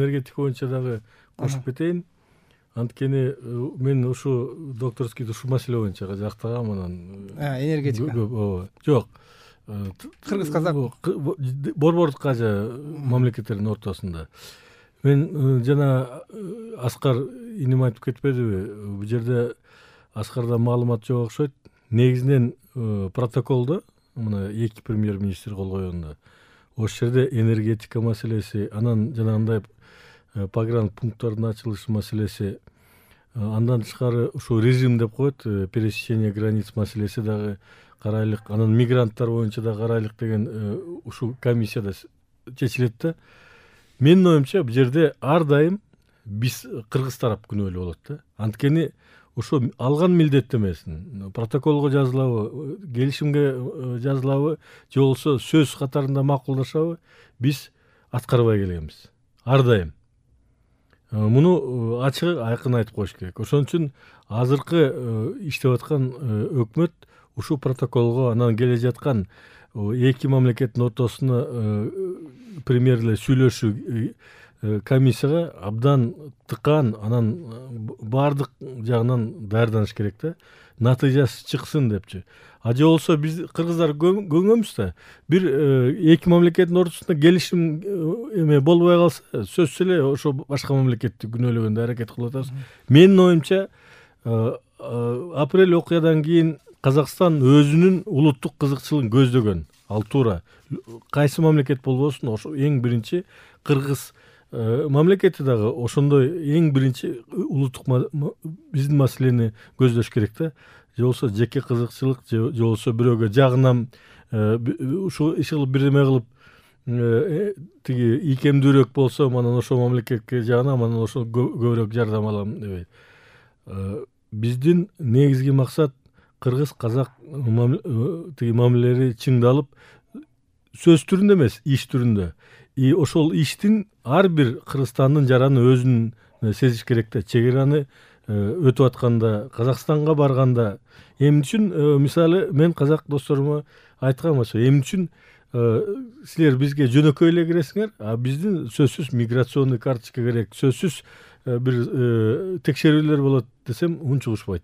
энергетика боюнча дагы кошуп кетейин. Анткени мен ушу докторскийди ушул маселе боюнча жактагам. Анан энергетика. Жок. Кыргыз казак Борбордук кажы мамлекеттердин ортосунда. Мен жана Аскар иним айтып кетпедиби? Бул жерде Аскарда маалымат жок окшойт. Негизинен протоколдо мына эки премьер-министр кол койгондо ошол жерде энергетика маселеси, анан жанагындай погран пункттардын ачылышы маселеси, андан тышкары ушу режим деп коет, пересечение границ маселеси дагы карайлык, анан мигранттар боюнча да карайлык деген ушул комиссияда чечилет да. Менин оюмча бул жерде ар дайым биз кыргыз тарап күнөөлүү болот да. Анткени ошо алган милдеттемесин протоколго жазылабы, келишимге жазылабы, же болбосо сөз катарында макулдашабы, биз аткарбай келебиз ар дайым. Муну ачык айкын айтып коюш керек. Ошон үчүн азыркы иштеп аткан өкмөт ушул протоколго, анан келе жаткан эки мамлекеттин ортосуна премьерлер сүйлөшүү комиссияга абдан тыкан, анан баардык жагынан даярданыш керек да, натыйжасы чыксын депчи. Же болбосо биз кыргыздар көнгөнбүз да, бир эки мамлекеттин ортосунда келишим болбой калса, сөзсүз эле ошо башка мамлекетти күнөөлөгөнгө аракет кылып атабыз. Менин оюмча апрель окуядан кийин Казакстан өзүнүн улуттук кызыкчылыгын көздөгөн. Ал туура. Кайсы мамлекет болбосун, ошо эң биринчи кыргыз мамлекети дагы ошондой эң биринчи улуттук биздин маселени көздөш керек да. Же болбосо жеке кызыкчылык, же болбосо бирөөгө жагынам, ушул иш кылып бирдеме кылып тиги ийкемдүүрөөк болсо, анан ошол мамлекетке жагынам, анан ошол көбүрөөк жардам алам дебейт. Биздин негизги максат кыргыз казак тиги мамилелери чыңдалып, сөз түрүндө эмес, иш түрүндө. Ошол иштин ар бир Кыргызстандын жараны өзүн сезиш керек да. Чек араны өтүп атканда, Казакстанга барганда, эмне үчүн мисалы мен казак досторума айткам ошо, эмне үчүн силер бизге жөнөкөй эле киресиңер, а биздин сөзсүз миграционный карточка керек, сөзсүз бир текшерүүлөр болот десем унчугушпайт.